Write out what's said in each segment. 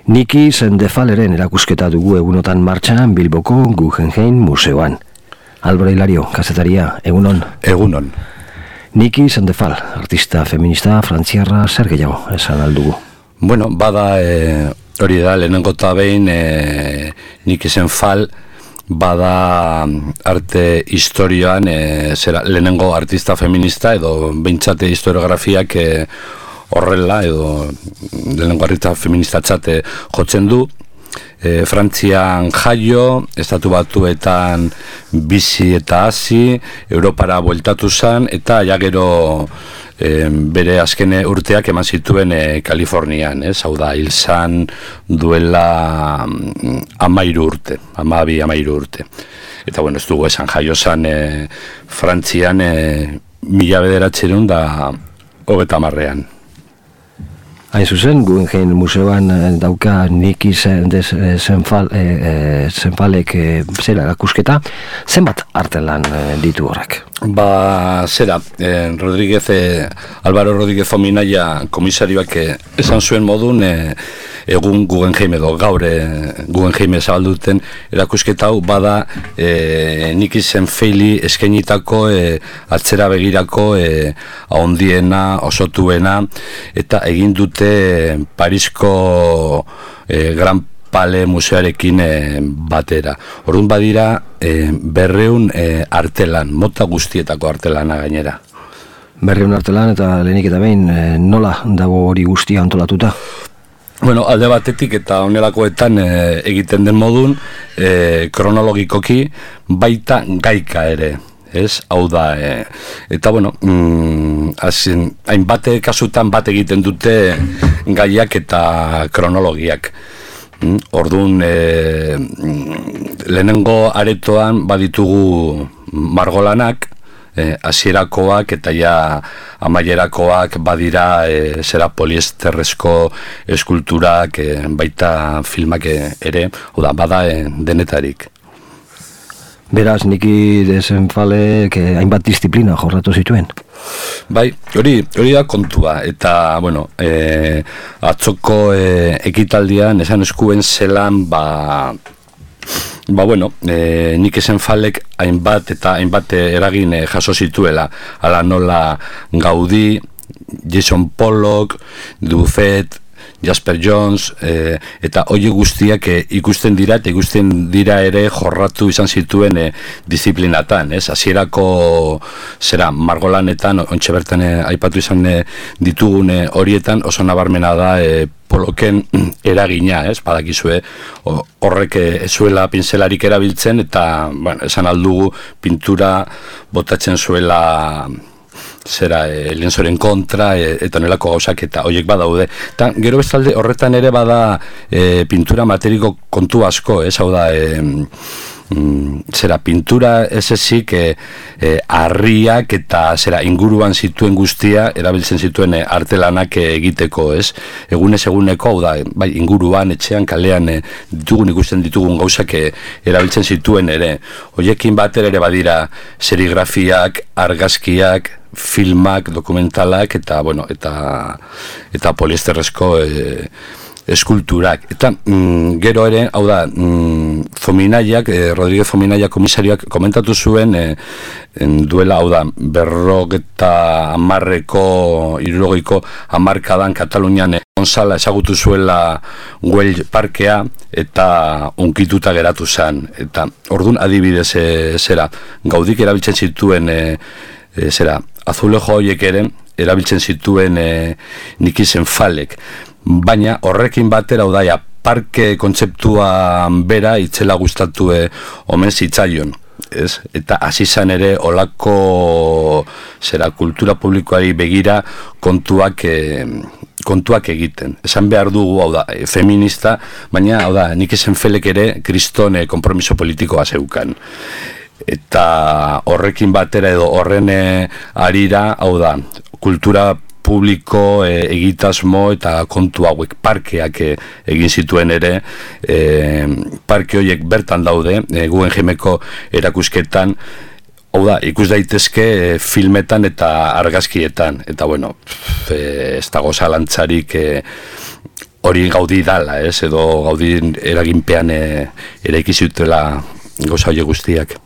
Niki Sendefaleren erakusketa dugu egunotan martxan Bilboko Guggenheim Museoan. Álvaro Hilario, kazetaria, egunon. Egunon. Niki Sendefal, artista feminista frantziarra, zer gehiago esan aldugu? Bueno, bada hori da, lehenengo eta behin Niki Sendefal bada arte historioan lehenengo artista feminista edo behintzate historiografiak horrela edo lehenengo artista feminista txate jotzen du. Frantzian jaio, Estatu Batuetan bizi eta hasi, Europara bueltatu zen, eta ja gero bere azken urteak eman zituen Kalifornian, hau da, hil zen duela 13 urte, 12 urte. Eta bueno, ez dugu esan jaio zen Frantzian 1930. Hain zuzen, Guggenheim Museoan dauka Niki Sendefalek zera erakusketa, zenbat artelan ditu horrek? Zera, Álvaro Rodríguez Fominaia komisarioak esan zuen modun, egun Guggenheim edo gaur Guggenheim zabalduten erakusketa hau bada Niki Sendefali eskainitako atzera begirako ahondiena, osotuena, eta egin dute Parisko Gran Pale museoarekin batera. Orduan badira 200 artelan, mota guztietako artelana gainera. 200 artelan eta lehenik eta behin nola dago hori guztia antolatuta? Bueno, alde batetik eta honelakoetan egiten den modun, kronologikoki baita gaika ere. Hau da, eta bueno, hainbat kasutan bat egiten dute gaiak eta kronologiak. Orduan, lehenengo aretoan baditugu margolanak, hasierakoak eta ja amaierakoak badira zera poliesterrezko eskulturak, baita filmak ere, bada denetarik. Beraz, Niki Sendefalek hainbat disiplina jorratu zituen? Bai, hori da kontua, eta, bueno, atzoko ekitaldian esan eskuen zelan, bueno, Niki Sendefalek hainbat eragin jaso zituela, ala nola Gaudí, Jackson Pollock, Dufet, Jasper Johns, eta hori guztiak ikusten dira ere jorratu izan zituen disiplinatan, hasierako zera margolanetan, ontxe bertan aipatu izan ditugun horietan, oso nabarmena da Pollocken eragina, badakizue, horrek zuela pinzelarik erabiltzen, eta esan aldugu pintura botatzen zuela zera lienzoren kontra eta nelako gauzak eta horiek badaude. Eta gero bestalde horretan ere bada pintura materiko kontu asko, hau da zera pintura ez ezik harriak eta zera inguruan zituen guztia erabiltzen zituen artelanak egiteko, egunez eguneko, hau da, bai, inguruan, etxean, kalean ikusten ditugun gauzak erabiltzen zituen ere. Horiekin batera ere badira serigrafiak, argazkiak, filmak, dokumentalak eta, bueno, eta poliesterrezko eskulturak. Eta gero ere, hau da, Fominaiak, Rodríguez Fominaia komisarioak komentatu zuen duela, hau da, 50ko hamarkadan Katalunian Gonzala ezagutu zuela Güell parkea eta unkituta geratu zen. Eta orduan adibidez zera, Gaudik erabiltzen zituen azulejo horiek ere erabiltzen zituen Niki Sendefalek. Baina horrekin batera, hau da, parke kontzeptua bera itzela gustatu omen zitzaion. Eta hasi izan ere olako kultura publikoari begira kontuak egiten. Esan behar dugu, hau da, feminista, baina, hau da, Niki Sendefalek ere kriston konpromiso politikoa zeukan. Eta horrekin batera edo horren arira, hau da, kultura publiko egitasmo eta kontu hauek parkeak egin zituen ere, parke horiek bertan daude, Guggenheimeko erakusketan, hau da, ikus daitezke filmetan eta argazkietan, eta bueno, ez dago zalantzarik hori Gaudi dala, edo Gaudi eraginpean eraiki zutela gauza horiek guztiak.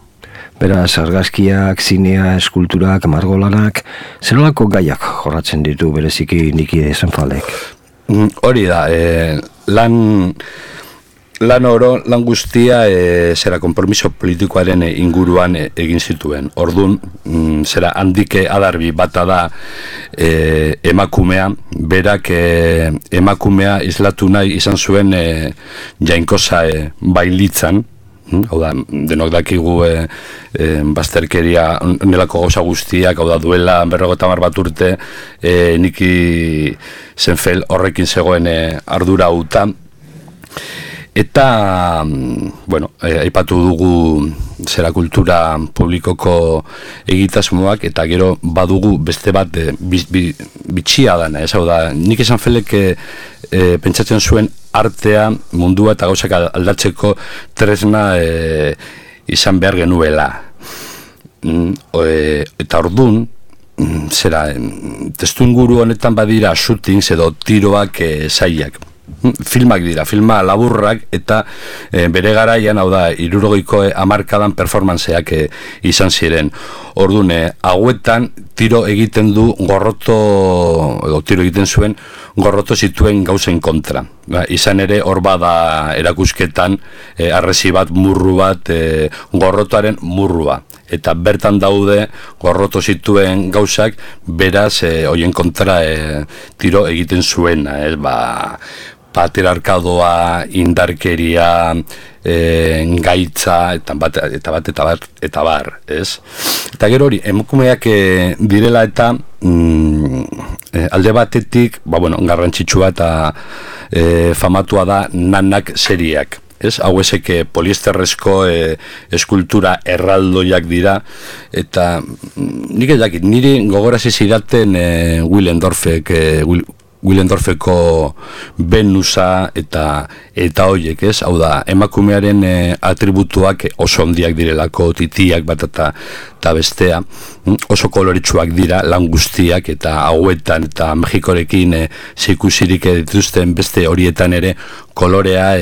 Beraz, argazkiak, zinea, eskulturak, margolanak, zelolako gaiak jorratzen ditu bereziki Niki de Senfaldek? Hori da, lan guztia zera konpromiso politikoaren inguruan egin zituen. Orduan, zera handike adarbi bata da emakumea, berak emakumea islatu nahi izan zuen jainkosa bailitzan, hau da, denok dakigu bazterkeria nelako gauza guztiak, hau da, duela 50 bat urte Niki Senfeld horrekin zegoen ardura hauta. Eta, bueno, aipatu dugu zera kultura publikoko egitasmoak, eta gero badugu beste bat bitxia dana, hau da, Niki Senfeldek pentsatzen zuen artea mundua eta gauzak aldatzeko tresna izan behar genuela. Eta ordun, zera, testu inguru honetan badira shootings edo tiroak zailak. Filmak dira, filma laburrak, eta bere garaian, hau da, 60ko hamarkadan performanceak izan ziren. Orduan, hauetan tiro egiten du tiro egiten zuen gorroto zituen gauzen kontra. Izan ere, hor bada erakusketan, arresi bat, murru bat, gorrotoaren murrua. Eta bertan daude gorroto zituen gauzak, beraz, hoien kontra tiro egiten zuena, patriarkadoa, indarkeria, gaitza, eta bar, ez? Eta gero hori, emakumeak direla eta alde batetik, garrantzitsua eta famatua da nanak seriak. Hau ezek poliesterrezko eskultura erraldoiak dira, eta nik ez dakit, niri gogorazi zidaten Willendorfeko Venusa eta horiek, hau da, emakumearen atributuak oso handiak direlako, titiak bat eta bestea, oso koloritsuak dira, lan guztiak, eta hauetan eta Mexikorekin zikusirik dituzten beste horietan ere kolorea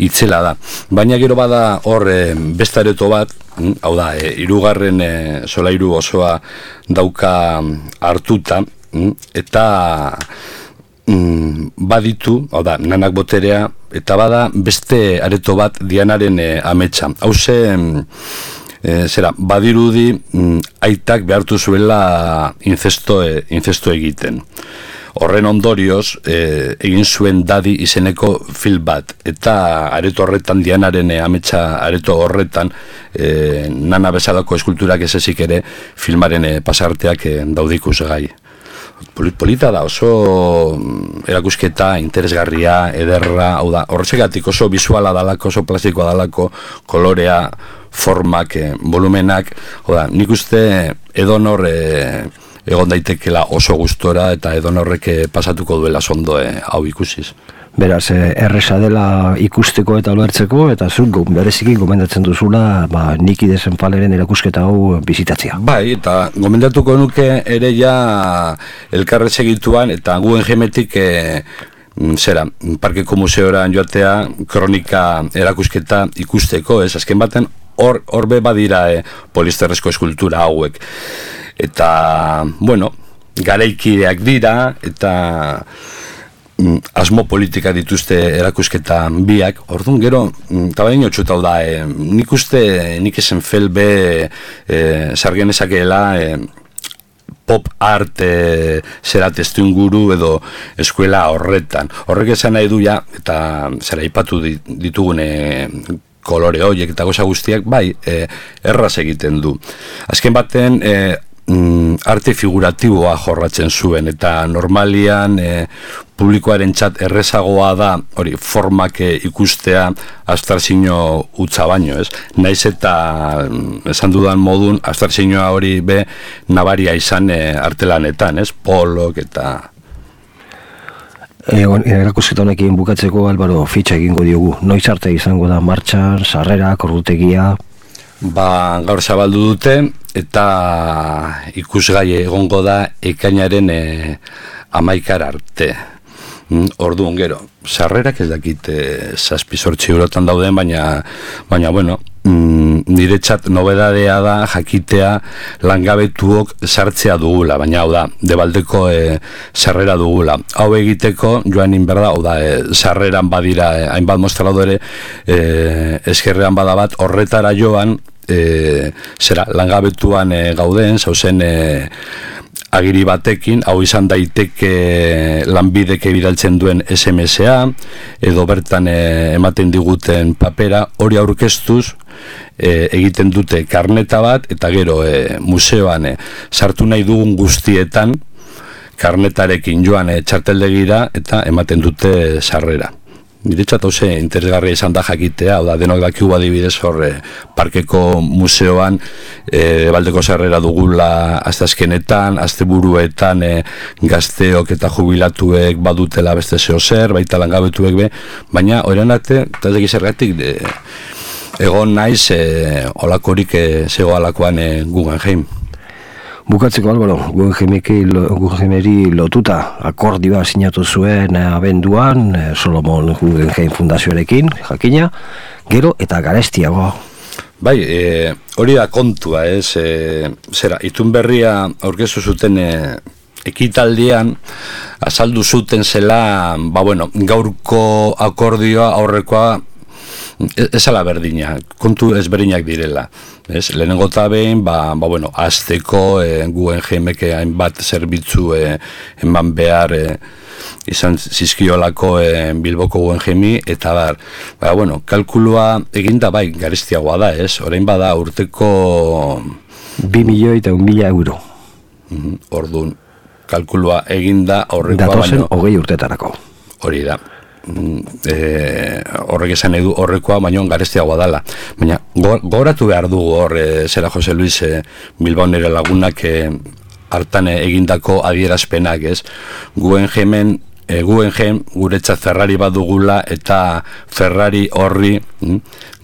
itzela da. Baina gero bada hor beste areto bat, hau da, 3. solairu osoa dauka hartuta, eta baditu, hau da, nanak boterea, eta bada beste areto bat Dianaren ametsa. Hau badirudi aitak behartu zuela inzesto egiten. Horren ondorioz, egin zuen Dadi izeneko film bat, eta areto horretan, Dianaren ametsa areto horretan, nana bezalako eskulturak ez ezik ere filmaren pasarteak daudikus gai. Polita da, oso erakusketa interesgarria, ederra, hau da, horretzegatik oso visuala dalako, oso plastikoa dalako, kolorea, formak, volumenak, hau da, nik uste edonor egon daitekela oso gustora, eta edonorrek pasatuko duela sondo hau ikusiz. Beraz, erresa dela ikusteko eta ulertzeko, eta zuk bereziki gomendatzen duzula Niki de Senfalderen erakusketa hau bizitatzea. Bai, eta gomendatuko nuke ere ja elkarrez egituan, eta Guggenheimetik Parkeko Museoran joatea kronika erakusketa ikusteko, azken baten hor be badira polisterrezko eskultura hauek. Eta, garaikideak dira, eta asmo politika dituzte erakusketan biak, orduan gero, eta baina txutau da, nik uste Niki Senfeld sargen ezakeela pop art zera testu inguru edo eskuela horretan. Horrek esan nahi du ja, eta zera ipatu ditugune kolore horiek eta goza guztiak, bai, erraz egiten du. Azken baten, arte figuratiboa jorratzen zuen, eta normalian publikoaren txat errezagoa da hori formak ikustea abstrakzio utza baino, ez? Naiz eta esan dudan modun abstrakzioa hori be nabaria izan artelanetan, ez? Polok eta erakusketa honekin bukatzeko, Álvaro, fitxa egingo diogu. Noiz arte izango da martxan, sarrerak, ordutegia? Gaur zabaldu dute, eta ikusgai egongo da ekainaren 11 arte. Orduan gero, sarrerak ez dakit 7-8 eurotan dauden, baina bueno, niretzat nobedadea da jakitea langabetuok sartzea dugula, baina hau da, debaldeko sarrera dugula. Hau egiteko, joan inberda, hau da, sarreran badira, hainbat mostradore, eskerrean badabat, horretara joan, langabetuan gauden, zauzen, agiri batekin, hau izan daiteke lanbideke bidaltzen duen SMS-a, edo bertan ematen diguten papera, hori aurkeztuz, egiten dute karneta bat, eta gero museoan sartu nahi dugun guztietan, karnetarekin joan txarteldegira, eta ematen dute sarrera. Niretzat hauze interesgarria izan da jakitea, hau da, denok dakigu adibidez hor parkeko museoan baldeko sarrera dugula asteazkenetan, asteburuetan gazteok eta jubilatuek badutela beste zeo zer, baita langabetuek be, baina horren arte, eta ez zergatik egon naiz olakorik zego alakoan Guggenheim. Bukatzeko, Álvaro, Guggenheimeri lotuta akordioa sinatu zuen abenduan, Solomon Guggenheim Fundazioarekin, jakina, gero eta garestiago. Bai, hori da kontua, itun berria aurkeztu zuten ekitaldian, azaldu zuten zela, gaurko akordioa aurrekoa, ez ala berdina, kontu ezberdinak direla. Lehenengo eta behin, azteko Guggenheimek hainbat zerbitzu eman behar izan zizkiolako Bilboko Guggenheimi, eta kalkulua eginda bai garestiagoa da, orain bada urteko 2.000.000 euro. Orduan, kalkulua eginda aurrekoa datozen 20 urtetarako. Hori da. Horrek esan edu horrekoa baino garestiagoa dela, baina gogoratu behar dugu hor zera Jose Luis Bilbao nire lagunak hartan egindako adierazpenak, Guggenheim guretzat Ferrari badugula, eta Ferrari horri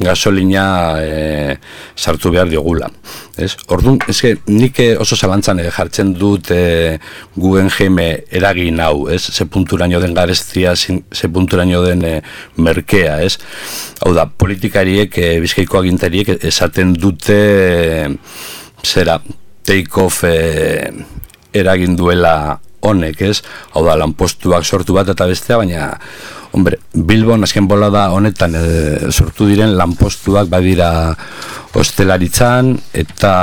gasolina sartu behar diogula. Orduan, nik oso zalantzan jartzen dut Guggenheim eragin hau, ze punturaino den garestia, ze punturaino den merkea. Hau da, politikariek, Bizkaiko agintariek esaten dute take-off eragin duela honek, hau da, lanpostuak sortu bat eta bestea, baina, Bilbon azken bolada honetan sortu diren lanpostuak badira hostelaritzan eta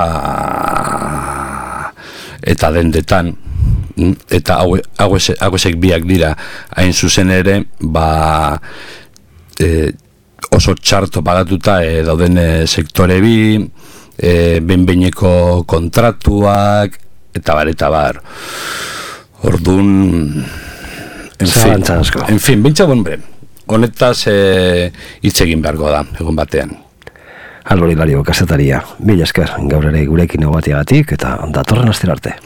dendetan, eta hauesek biak dira, hain zuzen ere, oso txarto pagatuta dauden sektore bi, behin-behineko kontratuak, eta bar. Orduan, en fin, bintza honetaz hitz egin beharko da, egun batean. Álvaro Hilario, kazetaria, mila esker, gaur ere gurekin egoatiagatik, eta datorren astera arte.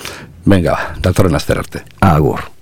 Venga, datorren astera arte. Agur.